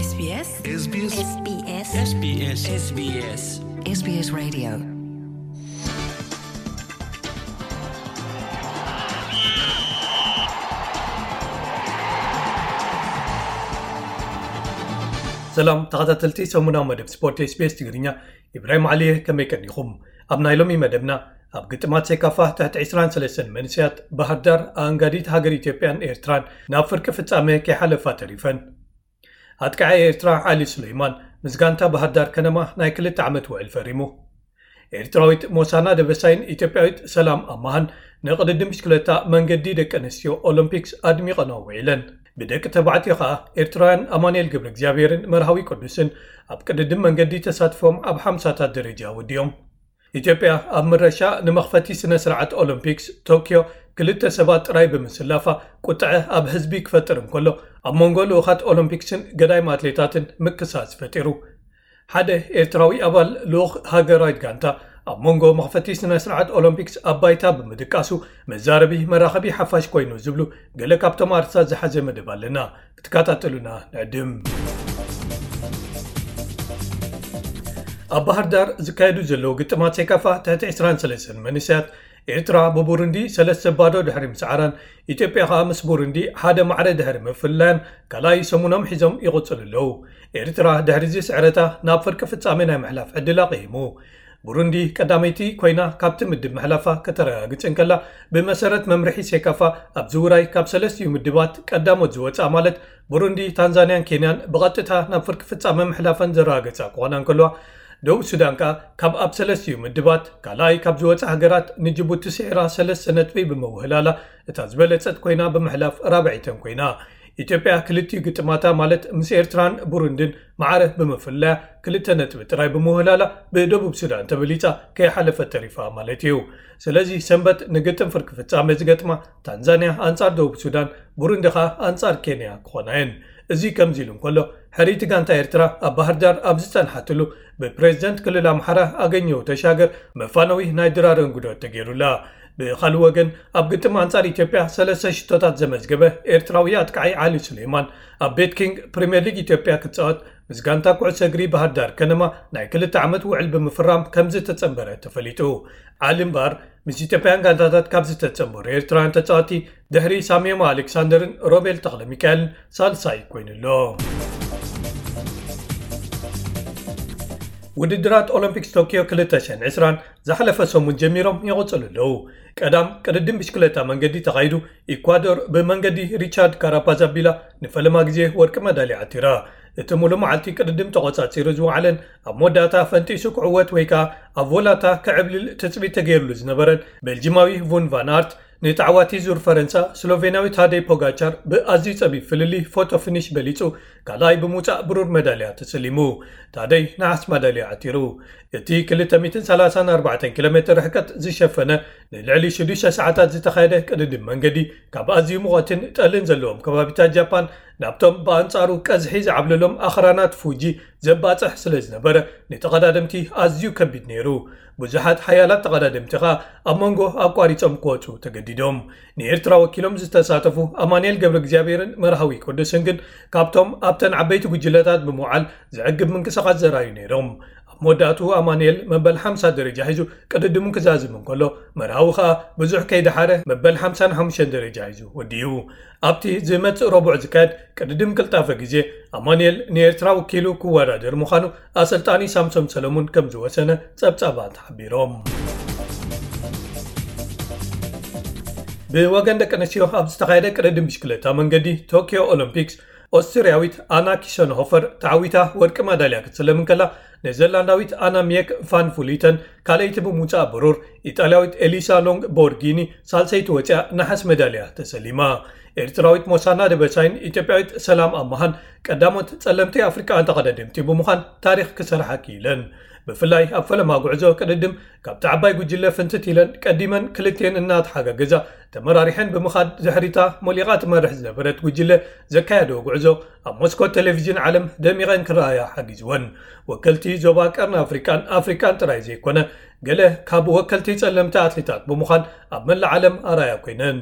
SBS SBS SBS SBS SBS SBS Radio. ሰላም ተኸታተልቲ ሰሙናዊ መደብ ስፖርት SBS ትግርኛ፣ ኢብራሂም ዓሊ እየ። ከመይ ቀኒኹም? ኣብ ናይ ሎሚ መደብና፣ ኣብ ግጥማት ሴካፋ ትሕቲ ዕስራን ሰለስተን መንእሰያት ባህር ዳር ኣንጋዲት ሃገር ኢትዮጵያን ኤርትራን ናብ ፍርቂ ፍጻመ ከይሓለፋ ተሪፈን። ኣጥቃዓይ ኤርትራ ዓሊ ሱለይማን ምስ ጋንታ ባህር ዳር ከነማ ናይ ክልተ ዓመት ውዕል ፈሪሙ። ኤርትራዊት ሞሳና ደበሳይን ኢትዮጵያዊት ሰላም ኣማሃን ንቅድድም ብሽክለታ መንገዲ ደቂ ኣንስትዮ ኦሎምፒክስ ኣድሚቐንኦ ውዒለን። ብደቂ ተባዕትዮ ከኣ ኤርትራውያን ኣማኑኤል ገብረ እግዚኣብሔርን መርሃዊ ቅዱስን ኣብ ቅድድም መንገዲ ተሳትፎም ኣብ ሓምሳታት ደረጃ ወዲኦም። ኢትዮጵያ ኣብ ምረሻ ንመኽፈቲ ስነ ስርዓት ኦሎምፒክስ ቶክዮ ክልተ ሰባት ጥራይ ብምስላፋ ቁጥዐ ኣብ ህዝቢ ክፈጥር እንከሎ፣ ኣብ መንጎ ልኡኻት ኦሎምፒክስን ገዳይም ኣትሌታትን ምክሳስ ፈጢሩ። ሓደ ኤርትራዊ ኣባል ልኡኽ ሃገራዊት ጋንታ ኣብ መንጎ መኽፈቲ ስነ ስርዓት ኦሎምፒክስ ኣብ ባይታ ብምድቃሱ መዛረቢ መራኸቢ ሓፋሽ ኮይኑ ዝብሉ ገለ ካብቶም ኣርእስታት ዝሓዘ መደብ ኣለና። ክትከታተሉና ንዕድም። ኣብ ባህር ዳር ዝካየዱ ዘለዉ ግጥማት ሴካፋ ትሕቲ ዕስራን ሰለስተን መንእሰያት ኤርትራ ብቡሩንዲ ሰለስተ ባዶ ድሕሪ ምስዓራን ኢትዮጵያ ከኣ ምስ ቡሩንዲ ሓደ ማዕረ ድሕሪ ምፍላያን ካልኣይ ሰሙኖም ሒዞም ይቕጽሉ ኣለዉ። ኤርትራ ድሕሪ እዚ ስዕረታ ናብ ፍርቂ ፍጻመ ናይ ምሕላፍ ዕድላ ቂሂሙ። ቡሩንዲ ቀዳመይቲ ኮይና ካብቲ ምድብ ምሕላፋ ከተረጋግጽ እንከላ፣ ብመሰረት መምርሒ ሴካፋ ኣብዚ ውራይ ካብ ሰለስቲኡ ምድባት ቀዳሞት ዝወጻ ማለት ቡሩንዲ፣ ታንዛንያን ኬንያን ብቐጥታ ናብ ፍርቂ ፍጻመ ምሕላፈን ዘረጋገጻ ክኾና እንከልዋ፣ ደቡብ ሱዳን ከኣ ካብ ኣብ ሰለስቲኡ ምድባት ካልኣይ ካብ ዝወጻ ሃገራት ንጅቡቲ ስዒራ ሰለስተ ነጥቢ ብምውህላላ እታ ዝበለጸት ኮይና ብምሕላፍ ራብዐይተን ኮይና። ኢትዮጵያ ክልቲኡ ግጥማታ ማለት ምስ ኤርትራን ቡሩንድን ማዕረ ብምፍላያ ክልተ ነጥቢ ጥራይ ብምውህላላ ብደቡብ ሱዳን ተበሊጻ ከይሓለፈት ተሪፋ ማለት እዩ። ስለዚ ሰንበት ንግጥም ፍርቂ ፍጻመ ዝገጥማ ታንዛንያ ኣንጻር ደቡብ ሱዳን፣ ቡሩንዲ ከኣ ኣንጻር ኬንያ ክኾና እየን። እዚ ከምዚ ኢሉ እንከሎ፣ ሕርይቲ ጋንታ ኤርትራ ኣብ ባህር ዳር ኣብ ዝጸንሓትሉ ብፕሬዝደንት ክልል ኣምሓራ ኣገኘው ተሻገር መፋነዊ ናይ ድራር እንጉዶት ተገይሩላ። ብኻልእ ወገን ኣብ ግጥም ኣንጻር ኢትዮጵያ ሰለስተ ሽቶታት ዘመዝገበ ኤርትራዊ ኣጥቃዓይ ዓሊ ሱሌማን ኣብ ቤት ኪንግ ፕሪምየር ሊግ ኢትዮጵያ ክጻወት ምስ ጋንታ ኩዕሶ እግሪ ባህር ዳር ከነማ ናይ ክልተ ዓመት ውዕል ብምፍራም ከም ዝተጸንበረ ተፈሊጡ። ዓሊ እምበኣር ምስ ኢትዮጵያን ጋንታታት ካብ ዝተጸንበሩ ኤርትራውያን ተጻወቲ ድሕሪ ሳምዮማ ኣሌክሳንደርን ሮቤል ተኽለ ሚካኤልን ሳልሳይ ኮይኑ ኣሎ። ውድድራት ኦሎምፒክስ ቶክዮ ክልተ ሽሕን ዕስራን ዝሓለፈ ሰሙን ጀሚሮም ይቕጽሉ ኣለዉ። ቀዳም ቅድድም ብሽክለታ መንገዲ ተኻይዱ፣ ኢኳዶር ብመንገዲ ሪቻርድ ካራፓዝ ኣቢላ ንፈለማ ግዜ ወርቂ መዳልያ ዓቲራ። እቲ ሙሉእ መዓልቲ ቅድድም ተቖጻጺሩ ዝወዓለን ኣብ መወዳእታ ፈንጢሱ ክዕወት ወይ ከኣ ኣብ ቮላታ ክዕብልል ትጽቢት ተገይሩሉ ዝነበረን ቤልጂማዊ ቡን ቫን ኣርት፣ ንተዓዋቲ ዙር ፈረንሳ ስሎቬንያዊ ታደይ ፖጋቻር ብኣዝዩ ጸቢብ ፍልልይ ፎቶ ፊኒሽ በሊጹ ካልኣይ ብምውጻእ ብሩር መዳልያ ተሰሊሙ። ታደይ ነሓስ መዳልያ ዓቲሩ። እቲ ክልተ ሚእትን ሰላሳን ኣርባዕተን ኪሎ ሜትር ርሕቀት ዝሸፈነ ንልዕሊ ሽዱሽተ ሰዓታት ዝተኻየደ ቅድድም መንገዲ ካብ ኣዝዩ ሙቐትን ጠልን ዘለዎም ከባቢታት ጃፓን ናብቶም ብኣንጻሩ ቀዝሒ ዝዓብለሎም ኣኽራናት ፉጂ ዘባጽሕ ስለ ዝነበረ፣ ንተቐዳደምቲ ኣዝዩ ከቢድ ነይሩ። ብዙሓት ሓያላት ተቐዳደምቲ ኸኣ ኣብ መንጎ ኣቋሪጾም ክወጹ ተገዲዶም። ንኤርትራ ወኪሎም ዝተሳተፉ ኣማኑኤል ገብረ እግዚኣብሔርን መርሃዊ ቅዱስን ግን ካብቶም ኣብተን ዓበይቲ ጉጅለታት ብምውዓል ዘዕግብ ምንቅስቓስ ዘርኣዩ ነይሮም። ኣብ መወዳእትኡ ኣማኑኤል መበል ሓምሳ ደረጃ ሒዙ ቅድድሙ ክዛዝም እንከሎ፣ መርሃዊ ኸኣ ብዙሕ ከይደሓረ መበል ሓምሳን ሓሙሽተን ደረጃ ሒዙ ወዲኡ። ኣብቲ ዝመጽእ ረቡዕ ዝካየድ ቅድድም ቅልጣፈ ግዜ፣ ኣማኑኤል ንኤርትራ ወኪሉ ክወዳደር ምዃኑ ኣሰልጣኒ ሳምሶም ሰለሙን ከም ዝወሰነ ጸብጻባት ሓቢሮም። ብወገን ደቂ ኣንስትዮ ኣብ ዝተኻየደ ቅድድም ብሽክለታ መንገዲ ቶክዮ ኦሎምፒክስ፣ ኦስትርያዊት ኣና ኪሸንሆፈር ተዓዊታ ወርቂ ማዳልያ ክትስለም እንከላ፣ ኔዘርላንዳዊት ኣና ሚየክ ፋን ፉሊተን ካልኣይቲ ብምውጻእ ብሩር፣ ኢጣልያዊት ኤሊሳ ሎንግ ቦርጊኒ ሳልሰይቲ ወጺኣ ነሓስ መዳልያ ተሰሊማ። ኤርትራዊት ሞሳና ደበሳይን ኢትዮጵያዊት ሰላም ኣማሃን ቀዳሞት ጸለምቲ ኣፍሪቃውያን ተቐዳደምቲ ብምዃን ታሪኽ ክሰርሓ ክኢለን። ብፍላይ ኣብ ፈለማ ጉዕዞ ቅድድም ካብቲ ዓባይ ጉጅለ ፍንትት ኢለን ቀዲመን ክልቲኤን እናተሓጋገዛ ተመራሪሐን ብምኻድ ድሕሪታ ሞሊቓ ትመርሕ ዝነበረት ጉጅለ ዘካየደኦ ጉዕዞ ኣብ መስኮት ቴሌቪዥን ዓለም ደሚቐን ክረኣያ ሓጊዝወን። ወከልቲ ዞባ ቀርኒ ኣፍሪቃን ኣፍሪቃን ጥራይ ዘይኮነ ገለ ካብ ወከልቲ ጸለምቲ ኣትሌታት ብምዃን ኣብ መላእ ዓለም ኣርኣያ ኮይነን።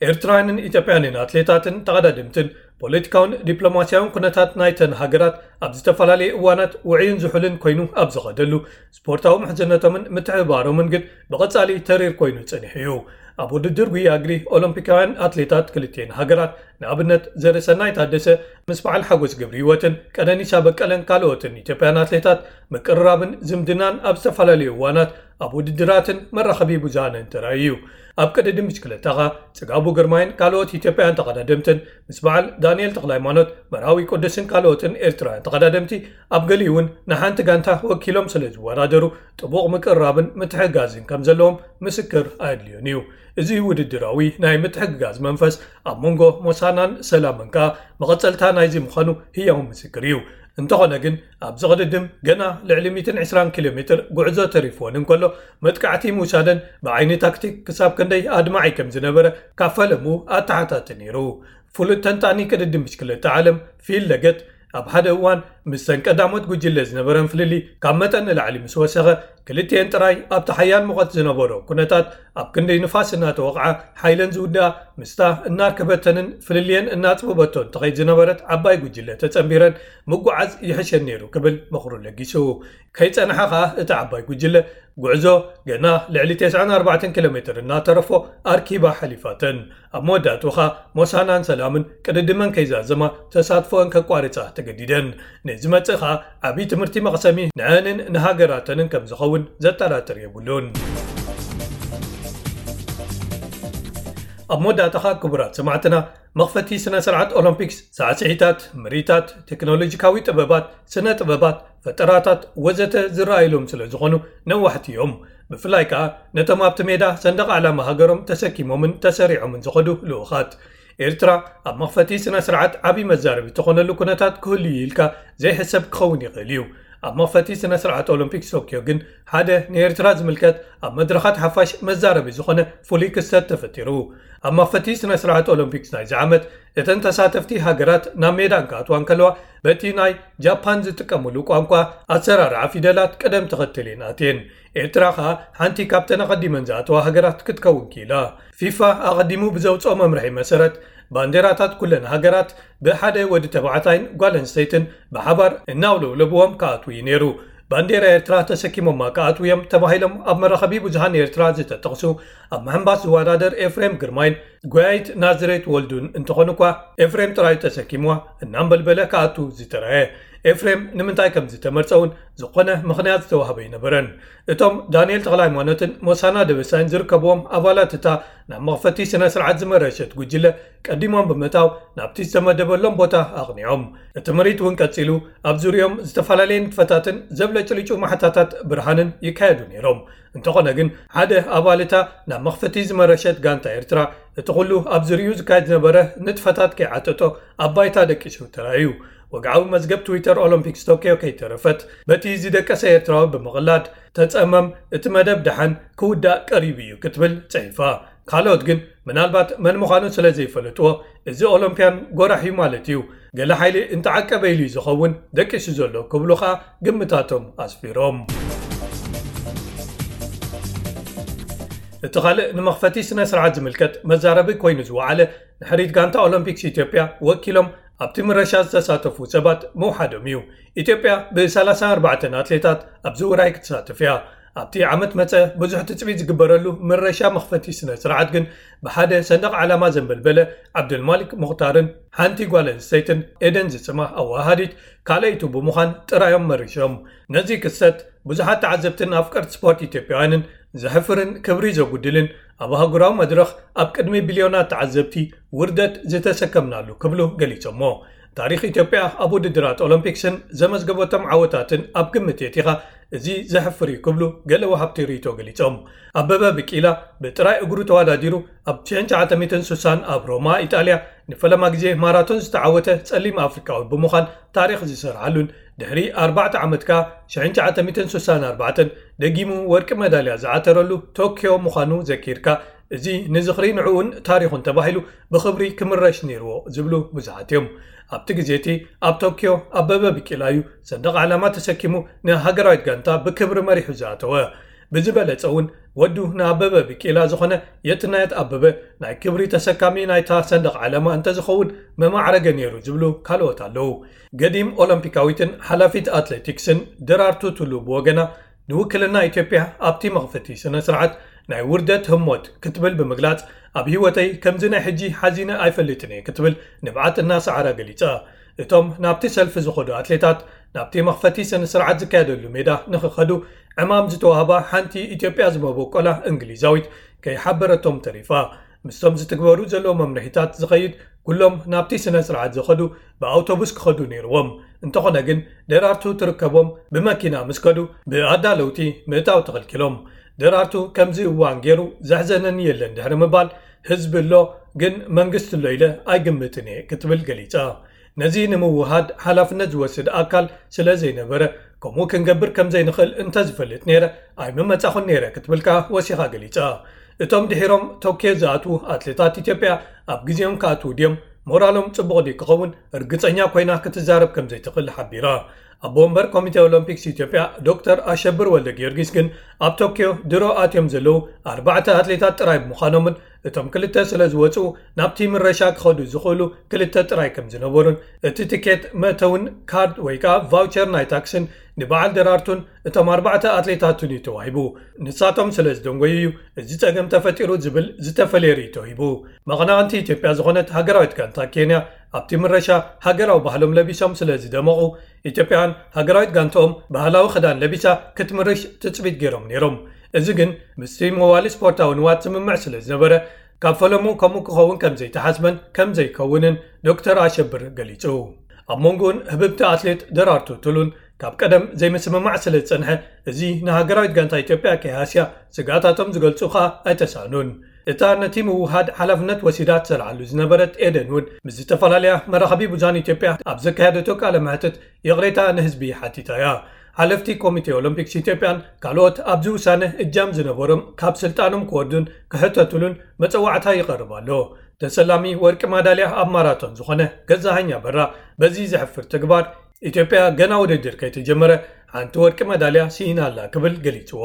ኤርትራውያንን ኢትዮጵያውያንን ኣትሌታትን ተቐዳደምትን ፖለቲካውን ዲፕሎማስያውን ኩነታት ናይተን ሃገራት ኣብ ዝተፈላለየ እዋናት ውዑይን ዝሑልን ኮይኑ ኣብ ዝኸደሉ፣ ስፖርታዊ ምሕዝነቶምን ምትሕብባሮምን ግን ብቐጻሊ ተሪር ኮይኑ ጸኒሑ እዩ። ኣብ ውድድር ጉያ እግሪ ኦሎምፒካውያን ኣትሌታት ክልቲኤን ሃገራት፣ ንኣብነት ዘርሰናይ ታደሰ ምስ በዓል ሓጎስ ገብረ ህይወትን ቀነኒሳ በቀለን ካልኦትን ኢትዮጵያን ኣትሌታት ምቅርራብን ዝምድናን ኣብ ዝተፈላለዩ እዋናት ኣብ ውድድራትን መራኸቢ ብዙሃንን ተራእዩ እዩ። ኣብ ቅድድም ብሽክለታ ኸኣ ጽጋቡ ግርማይን ካልኦት ኢትዮጵያውያን ተቐዳደምትን ምስ በዓል ዳንኤል ተኽለሃይማኖት፣ መርሃዊ ቅዱስን ካልኦትን ኤርትራውያን ተቐዳደምቲ ኣብ ገሊኡ እውን ንሓንቲ ጋንታ ወኪሎም ስለ ዝወዳደሩ ጥቡቕ ምቅርራብን ምትሕግጋዝን ከም ዘለዎም ምስክር ኣየድልዮን እዩ። እዚ ውድድራዊ ናይ ምትሕግጋዝ መንፈስ ኣብ መንጎ ሞሳናን ሰላምን ከኣ መቐጸልታ ናይዚ ምዃኑ ህያው ምስክር እዩ። እንተኾነ ግን ኣብዚ ቅድድም ገና ልዕሊ ሚእትን ዕስራን ኪሎ ሜትር ጉዕዞ ተሪፍወን እንከሎ መጥቃዕቲ ምውሳደን ብዓይኒ ታክቲክ ክሳብ ክንደይ ኣድማዒ ከም ዝነበረ ካብ ፈለሙ ኣተሓታቲ ነይሩ። ፍሉጥ ተንታኒ ቅድድም ብሽክለታ ዓለም ፊል ለገት ኣብ ሓደ እዋን ምስተን ቀዳሞት ጉጅለ ዝነበረን ፍልልይ ካብ መጠን ንላዕሊ ምስ ወሰኸ፣ ክልቲኤን ጥራይ ኣብቲ ሓያል ሙቐት ዝነበሮ ኩነታት ኣብ ክንዲ ንፋስ እናተወቕዓ ሓይለን ዝውድኣ፣ ምስታ እናርከበተንን ፍልልየን እናጽበበቶን ትኸይድ ዝነበረት ዓባይ ጉጅለ ተጸንቢረን ምጉዓዝ ይሕሸን ነይሩ ክብል ምኽሩ ለጊሱ። ከይጸንሓ ኸኣ እቲ ዓባይ ጉጅለ ጉዕዞ ገና ልዕሊ ተስዓን ኣርባዕተን ኪሎ ሜትር እናተረፎ ኣርኪባ ሓሊፋተን። ኣብ መወዳእትኡ ኸኣ ሞሳናን ሰላምን ቅድድመን ከይዛዘማ ተሳትፎአን ከቋርጻ ተገዲደን። ንዝመጽእ ኸኣ ዓብዪ ትምህርቲ መቕሰሚ ንዐንን ንሃገራተንን ከም ዝኸውን ዘጠራጥር የብሉን። ኣብ መወዳእታ ኸኣ ክቡራት ሰማዕትና፣ መኽፈቲ ስነ ስርዓት ኦሎምፒክስ ሳዕስዒታት፣ ምርኢታት፣ ቴክኖሎጂካዊ ጥበባት፣ ስነ ጥበባት፣ ፈጠራታት ወዘተ ዝረኣይሎም ስለ ዝኾኑ ነዋሕቲ እዮም። ብፍላይ ከኣ ነቶም ኣብቲ ሜዳ ሰንደቕ ዓላማ ሃገሮም ተሰኪሞምን ተሰሪዖምን ዝኸዱ ልኡኻት። ኤርትራ ኣብ መኽፈቲ ስነ ስርዓት ዓብዪ መዛረቢ ትኾነሉ ኩነታት ክህሉ እዩ ኢልካ ዘይሕሰብ ክኸውን ይኽእል እዩ። ኣብ መኽፈቲ ስነ ስርዓት ኦሎምፒክስ ቶክዮ ግን ሓደ ንኤርትራ ዝምልከት ኣብ መድረኻት ሓፋሽ መዛረቢ ዝኾነ ፍሉይ ክስተት ተፈጢሩ። ኣብ መኽፈቲ ስነ ስርዓት ኦሎምፒክስ ናይዚ ዓመት እተን ተሳተፍቲ ሃገራት ናብ ሜዳ እንክኣትዋ እንከለዋ በቲ ናይ ጃፓን ዝጥቀምሉ ቋንቋ ኣሰራርዓ ፊደላት ቅደም ተኸተል እየን ኣትየን። ኤርትራ ኸኣ ሓንቲ ካብተን ኣቐዲመን ዝኣተዋ ሃገራት ክትከውን ክኢላ። ፊፋ ኣቐዲሙ ብዘውፅኦ መምርሒ መሰረት ባንዴራታት ኩለን ሃገራት ብሓደ ወዲ ተባዕታይን ጓል ኣንስተይትን ብሓባር እናውለብለብዎም ክኣትዉ እዩ ነይሩ። ባንዴራ ኤርትራ ተሰኪሞማ ክኣትዉ እዮም ተባሂሎም ኣብ መራኸቢ ብዙሃን ኤርትራ ዝተጠቕሱ ኣብ ምሕንባስ ዝወዳደር ኤፍሬም ግርማይን ጎያይት ናዝሬት ወልዱን እንተኾኑ እኳ ኤፍሬም ጥራይ ተሰኪምዋ እናንበልበለ ክኣቱ ዝተረኣየ። ኤፍሬም ንምንታይ ከም ዝተመርጸ እውን ዝኾነ ምኽንያት ዝተዋህበ ኣይነበረን። እቶም ዳንኤል ተኽለሃይማኖትን ሞሳና ደበሳይን ዝርከብዎም ኣባላት እታ ናብ መኽፈቲ ስነ ስርዓት ዝመረሸት ጉጅለ ቀዲሞም ብምእታው ናብቲ ዝተመደበሎም ቦታ ኣቕኒዖም። እቲ ምርኢት እውን ቀጺሉ ኣብ ዙሪኦም ዝተፈላለየ ንጥፈታትን ዘብለጭልጩ ማሕታታት ብርሃንን ይካየዱ ነይሮም። እንተኾነ ግን ሓደ ኣባል እታ ናብ መኽፈቲ ዝመረሸት ጋንታ ኤርትራ እቲ ኩሉ ኣብ ዙሪኡ ዝካየድ ዝነበረ ንጥፈታት ከይዓጠጦ ኣብ ባይታ ደቂሱ ተራእዩ። ወግዓዊ መዝገብ ትዊተር ኦሎምፒክስ ቶክዮ ከይተረፈት በቲ ዝደቀሰ ኤርትራዊ ብምቕላድ ተጸመም፣ እቲ መደብ ደሓን ክውዳእ ቀሪቡ እዩ ክትብል ጽሒፋ። ካልኦት ግን ምናልባት መን ምዃኑ ስለ ዘይፈለጥዎ እዚ ኦሎምፕያን ጎራሕ እዩ ማለት እዩ፣ ገለ ሓይሊ እንተዓቀበ ኢሉ እዩ ዝኸውን ደቂሱ ዘሎ ክብሉ ኸኣ ግምታቶም ኣስፊሮም። እቲ ካልእ ንመኽፈቲ ስነ ስርዓት ዝምልከት መዛረቢ ኮይኑ ዝወዓለ ንሕሪት ጋንታ ኦሎምፒክስ ኢትዮጵያ ወኪሎም ኣብቲ ምረሻ ዝተሳተፉ ሰባት ምውሓዶም እዩ። ኢትዮጵያ ብ ሰላሳን ኣርባዕተን ኣትሌታት ኣብዚ ውራይ ክትሳተፍ እያ። ኣብቲ ዓመት መጸ ብዙሕ ትጽቢት ዝግበረሉ ምረሻ መኽፈቲ ስነ ስርዓት ግን ብሓደ ሰንደቕ ዓላማ ዘንበልበለ ዓብደልማሊክ ሙኽታርን ሓንቲ ጓል ኣንስተይትን ኤደን ዝስማ ኣወሃሃዲት ካልኣይቱ ብምዃን ጥራዮም መሪሾም። ነዚ ክስተት ብዙሓት ተዓዘብትን ኣፍቀርቲ ስፖርት ኢትዮጵያውያንን ዘሕፍርን ክብሪ ዘጉድልን ኣብ ኣህጉራዊ መድረኽ ኣብ ቅድሚ ቢልዮናት ተዓዘብቲ ውርደት ዝተሰከምናሉ ክብሉ ገሊጾሞ። ታሪኽ ኢትዮጵያ ኣብ ውድድራት ኦሎምፒክስን ዘመዝገበቶም ዓወታትን ኣብ ግምት የእቲኻ እዚ ዘሕፍር እዩ ክብሉ ገለ ወሃብቲ ርእይቶ ገሊጾም። ኣበበ ቢቂላ ብጥራይ እግሩ ተወዳዲሩ ኣብ ሽሕን ትሽዓተ ሚእትን ስሳን ኣብ ሮማ ኢጣልያ ንፈለማ ግዜ ማራቶን ዝተዓወተ ጸሊም ኣፍሪቃዊ ብምዃን ታሪኽ ዝሰርሓሉን ድሕሪ ኣርባዕተ ዓመት ከኣ ሽሕን ትሽዓተ ሚእትን ስሳን ኣርባዕተን ደጊሙ ወርቂ መዳልያ ዝዓተረሉ ቶክዮ ምዃኑ ዘኪርካ፣ እዚ ንዝኽሪ ንዕኡን ታሪኹን ተባሂሉ ብኽብሪ ክምረሽ ነይርዎ ዝብሉ ብዙሓት እዮም። ኣብቲ ግዜ እቲ ኣብ ቶክዮ ኣበበ ቢቂላ እዩ ሰንደቕ ዓላማ ተሰኪሙ ንሃገራዊት ጋንታ ብክብሪ መሪሑ ዝኣተወ። ብዝበለጸ እውን ወዱ ንኣበበ ቢቂላ ዝኾነ የትናየት ኣበበ ናይ ክብሪ ተሰካሚ ናይታ ሰንደቕ ዓለማ እንተዝኸውን መማዕረገ ነይሩ ዝብሉ ካልኦት ኣለዉ። ገዲም ኦሎምፒካዊትን ሓላፊት ኣትሌቲክስን ደራርቱ ቱሉ ብወገና ንውክልና ኢትዮጵያ ኣብቲ መኽፈቲ ስነ ስርዓት ናይ ውርደት ህሞት ክትብል ብምግላጽ ኣብ ህይወተይ ከምዚ ናይ ሕጂ ሓዚነ ኣይፈልጥን እየ ክትብል ንብዓት እናሰዓራ ገሊጻ። እቶም ናብቲ ሰልፊ ዝኸዱ ኣትሌታት ናብቲ መኽፈቲ ስነ ስርዓት ዝካየደሉ ሜዳ ንኽኸዱ ዕማም ዝተዋህባ ሓንቲ ኢትዮጵያ ዝመበቆላ እንግሊዛዊት ከይሓበረቶም ተሪፋ። ምስቶም ዝትግበሩ ዘለዉ መምርሒታት ዝኸይድ ኩሎም ናብቲ ስነ ስርዓት ዝኸዱ ብኣውቶቡስ ክኸዱ ነይርዎም። እንተኾነ ግን ደራርቱ ትርከቦም ብመኪና ምስ ከዱ ብኣዳለውቲ ምእታው ተኸልኪሎም። ደራርቱ ከምዚ እዋን ገይሩ ዘሕዘነኒ የለን ድሕሪ ምባል ህዝቢ ኣሎ ግን መንግስቲ ኣሎ ኢለ ኣይግምትን እየ ክትብል ገሊጻ። ነዚ ንምውሃድ ሓላፍነት ዝወስድ ኣካል ስለ ዘይነበረ ከምኡ ክንገብር ከም ዘይንኽእል እንተዝፈልጥ ነይረ ኣይምመጻኹን ነይረ ክትብል ከኣ ወሲኻ ገሊጻ። እቶም ድሒሮም ቶኪዮ ዝኣትዉ ኣትሌታት ኢትዮጵያ ኣብ ግዜኦም ክኣትዉ ድዮም? ሞራሎም ጽቡቕ ድዩ ክኸውን? ርግጸኛ ኮይና ክትዛረብ ከም ዘይትኽእል ሓቢራ። ኣቦ ወንበር ኮሚቴ ኦሎምፒክስ ኢትዮጵያ ዶክተር ኣሸብር ወልደ ጊዮርጊስ ግን ኣብ ቶኪዮ ድሮ ኣትዮም ዘለዉ ኣርባዕተ ኣትሌታት ጥራይ ብምዃኖምን እቶም ክልተ ስለ ዝወጽኡ ናብቲ ምረሻ ክኸዱ ዝኽእሉ ክልተ ጥራይ ከም ዝነበሩን እቲ ትኬት መእተውን ካርድ ወይ ከኣ ቫውቸር ናይ ታክስን ንበዓል ደራርቱን እቶም ኣርባዕተ ኣትሌታትን እዩ ተዋሂቡ። ንሳቶም ስለ ዝደንጎዩ እዩ እዚ ጸገም ተፈጢሩ ዝብል ዝተፈለየ ርእይቶ ሂቡ። መቐናቕንቲ ኢትዮጵያ ዝኾነት ሃገራዊት ጋንታ ኬንያ ኣብቲ ምረሻ ሃገራዊ ባህሎም ለቢሶም ስለ ዝደመቑ ኢትዮጵያውያን ሃገራዊት ጋንታኦም ባህላዊ ክዳን ለቢሳ ክትምርሽ ትጽቢት ገይሮም ነይሮም። እዚ ግን ምስቲ መዋሊ ስፖርታዊ ንዋት ዝምምዕ ስለ ዝነበረ ካብ ፈለሙ ከምኡ ክኸውን ከም ዘይተሓስበን ከም ዘይከውንን ዶክተር ኣሸብር ገሊጹ። ኣብ መንጎኡን ህብብቲ ኣትሌት ደራርቱ ቱሉን ካብ ቀደም ዘይምስምማዕ ስለ ዝጸንሐ እዚ ንሃገራዊት ጋንታ ኢትዮጵያ ከይሃስያ ስግኣታቶም ዝገልጹ ከኣ ኣይተሳእኑን። እታ ነቲ ምውሃድ ሓላፍነት ወሲዳ ትሰርዓሉ ዝነበረት ኤደን እውን ምስ ዝተፈላለያ መራኸቢ ብዙሃን ኢትዮጵያ ኣብ ዘካየደቶ ቃለ መሕትት ይቕሬታ ንህዝቢ ሓቲታ እያ። ሓለፍቲ ኮሚቴ ኦሎምፒክስ ኢትዮጵያን ካልኦት ኣብዚ ውሳነ እጃም ዝነበሮም ካብ ስልጣኖም ክወርዱን ክሕተቱሉን መጸዋዕታ ይቐርብ ኣሎ። ተሰላሚ ወርቂ ማዳልያ ኣብ ማራቶን ዝኾነ ገዛሃኝ ኣበራ በዚ ዘሕፍር ተግባር ኢትዮጵያ ገና ውድድር ከይተጀመረ ሓንቲ ወርቂ መዳልያ ስኢና ኣላ ክብል ገሊጽዎ።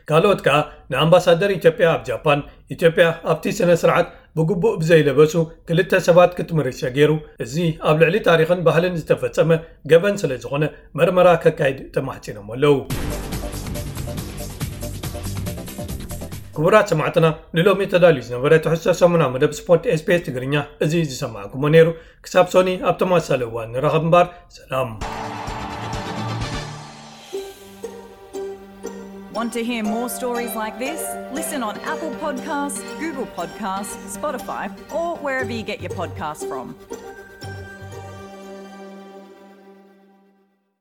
ካልኦት ከኣ ንኣምባሳደር ኢትዮጵያ ኣብ ጃፓን ኢትዮጵያ ኣብቲ ስነ ስርዓት ብግቡእ ብዘይለበሱ ክልተ ሰባት ክትምርሸ ገይሩ እዚ ኣብ ልዕሊ ታሪኽን ባህልን ዝተፈጸመ ገበን ስለ ዝኾነ መርመራ ከካይድ ተማሕጺኖም ኣለዉ። ክቡራት ሰማዕትና ንሎሚ ተዳልዩ ዝነበረ ትሕዝቶ ሰሙና መደብ ስፖርት ኤስቢኤስ ትግርኛ እዚ ዝሰማዕኩሞ ነይሩ። ክሳብ ሶኒ ኣብ ተመሳሳሊ እዋን ንራኸብ እምበር ሰላም። Want to hear more stories like this? Listen on Apple Podcasts, Google Podcasts, Spotify, or wherever you get your podcasts from.